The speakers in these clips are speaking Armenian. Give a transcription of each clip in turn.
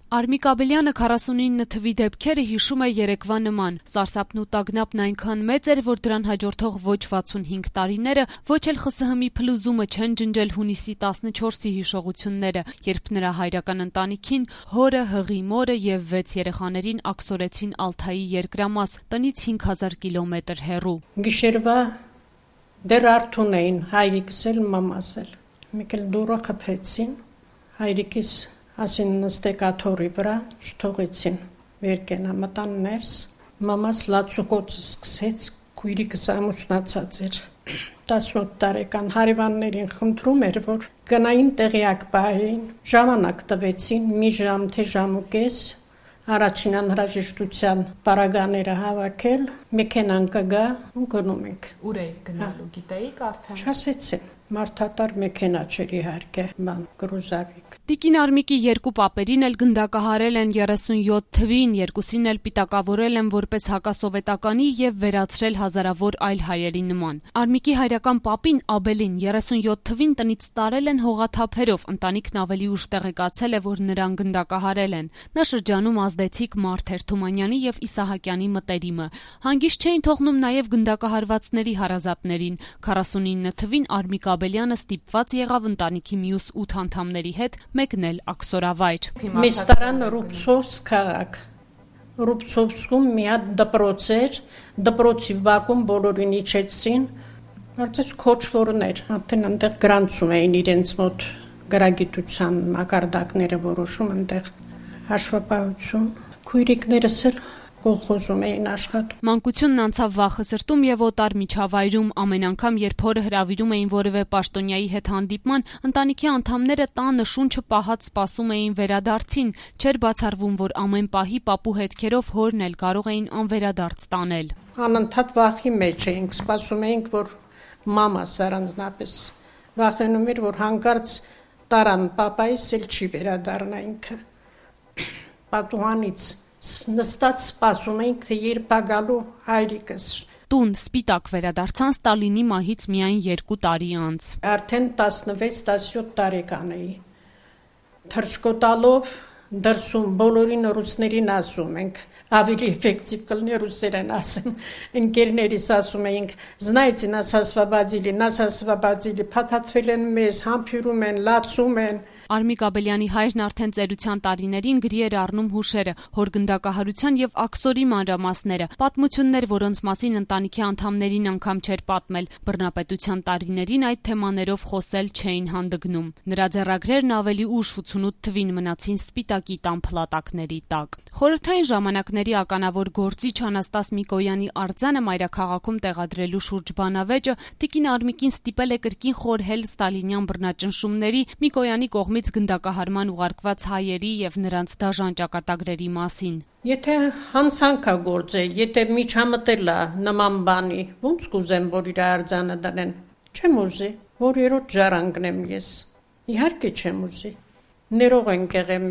Արմիկ Աբելյանը 49 թվի դեպքերը հիշում է երեկվա նման. սարսափն ու տագնապն այնքան մեծ էր, որ դրան հաջորդող ոչ 65 տարիները, ոչ էլ ԽՍՀՄ-ի փլուզումը չեն ջնջել հունիսի 14-ի հիշողությունները, երբ նրա հայրական ընտանիքին, հորը, հղի մորը և 6 երեխաներին աքսորեցին Ալթայի երկրամաս, տնից 5000 կիլոմետր հեռու։ Գիշերվա դեռ արթուն էին, հայրիկս էլ, մամաս էլ։ Մեկ էլ դուռը խփեցին, հայրիկիս ասին նստեք աթոռի վրա, չթողեցին, վեր կենա, մտան ներս, մամաս լացուկոծը սկսեց, քույրիկս ամուսնացած էր, 18 տարեկան, հարևաններին խնդրում էր, որ գնային տեղյակ պահեին, ժամանակ տվեցին, մի ժամ, թե ժամ ու կես, առաջին անհրաժեշտության պարագաները հավաքել, մեքենան կգա ու գնում ենք։ Ուր էիք գնալու, գիտեիք արդեն։ Չասեցին, մարդատար մեքենա չէր իհարկե, գրուզավիկ։ Տիկին Արմիկի երկու պապերին էլ գնդակահարել են 37 թվին, երկուսին էլ պիտակավորել են որպես հակասովետականի և վերացրել հազարավոր այլ հայերի նման։ Արմիկի հայրական պապին Աբելին 37 թվին տնից տարել են հողաթափերով, ընտանիքն ավելի ուշ տեղեկացել է, որ նրան գնդակահարել են։ Նա շրջանում ազդեցիկ մարդ էր, Թումանյանի և Իսահակյանի մտերիմը։ Հանգիստ չէին թողնում նաև գնդակահարվածների հարազատներին։ 49 թվին Արմիկ Աբելյանը ստիպված եղավ ընտանիքի մյուս 8 անդամների հետ մեկնել աքսորավայր։ Մեզ տարան Ռուբցովսկ քաղաք։ Ռուբցովսկում մի հատ դպրոց էր, դպրոցի բակում բոլորին իջեցին, կարծես քոչվորներ, արդեն այնտեղ գրանցում էին իրենց մոտ գրագիտության մակարդակները որոշում, այնտեղ հաշվապահություն, քույրիկներս էլ կոլխոզում էին աշխատում։ Մանկությունն անցավ վախը սրտում և օտար միջավայրում, ամեն անգամ, երբ հորը հրավիրում էին որևէ պաշտոնյայի հետ հանդիպման, ընտանիքի անդամները տանը շունչը պահած սպասում էին վերադարձին, չէր բացառվում, որ ամեն պահի պապու հետքերով հորն էլ կարող էին անվերադարձ տանել։ Անընդհատ վախի մեջ էինք, սպասում էինք, որ մամաս առանձնապես վախենում էր, որ հանկարծ տարան պապայիս էլ չի վերադառնա ինքը։ Պատուհանից նստած սպասում էինք, թե երբ է գալու հայրիկս։ Տուն սպիտակ վերադարձան Ստալինի մահից միայն 2 տարի անց։ Արդեն 16-17 տարեկան էի։ Թռչկոտալով դրսում բոլորին ռուսներին ասում ենք, ավելի էֆեկտիվ կլինի ռուսերեն ասեմ, ընկերներիս ասում էինք, знаете, нас освободили, փաթաթվել են մեզ, համբյուրում են, լացում են։ Արմիկ Աբելյանի հայրն արդեն ծերության տարիներին գրի էր առնում հուշերը, հոր գնդակահարության և աքսորի մանրամասները, պատմություններ, որոնց մասին ընտանիքի անդամներին անգամ չէր պատմել, բռնապետության տարիներին այդ թեմաներով խոսել չէին հանդգնում։ Նրա ձեռագրերն ավելի ուշ 88 թվին մնացին սպիտակի տան փլատակների տակ։ Խորհրդային ժամանակների ականավոր գործիչ Անաստաս Միկոյանի արձանը մայրաքաղաքում տեղադրելու շուրջ բանավեճը տիկին Արմիկին ստիպել է կրկին խորհել ստալինյան բռնաճնշումների, Միկոյանի կողմից գնդակահարման ուղարկված հայերի և նրանց դաժան ճակատագրերի մասին։ Եթե հանցանք է գործել, եթե միջամտել է նման բանի, ոնց կուզեմ, որ իր արձանը դնեն։ Չեմ ուզի, որ երրորդ ժառանգնեմ ես։ Իհարկե չեմ ուզի։ Ներող ենք եղել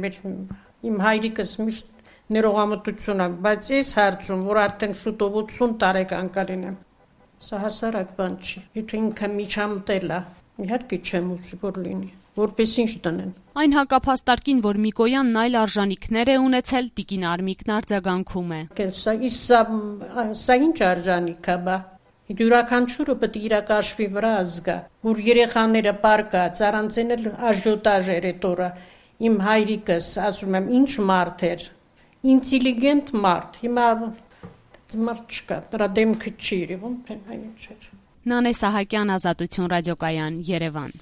իմ հայրիկս միշտ ներողամտություն է, բայց ես հարցում, որ արդեն շուտով 80 տարեկան կլինեմ։ Սա հասարակ բան չի։ Եթե ինքը միջամտել է, իհարկե չեմ ուզի, որ լինի, որպես ինչ դնեն։ Այն հակափաստարկին, որ Միկոյանն այլ արժանիքներ է ունեցել, տիկին Արմիկն արձագանքում է։ Սա ինչ արժանիք է, բա։ Յուրաքանչյուրը պետք է իր կաշվի վրա զգա, որ երեխաները պարկած, առանց էլ աժյոտաժ էր այդ օրը։ Իմ հայրիկս, ասում եմ, ինչ մարդ էր, ինտելիգենտ մարդ, հիմա մարդ չկա, դրա դեմքը չի երևում, այն չէր։ Նանե Սահակյան, Ազատություն ռադիոկայան, Երևան։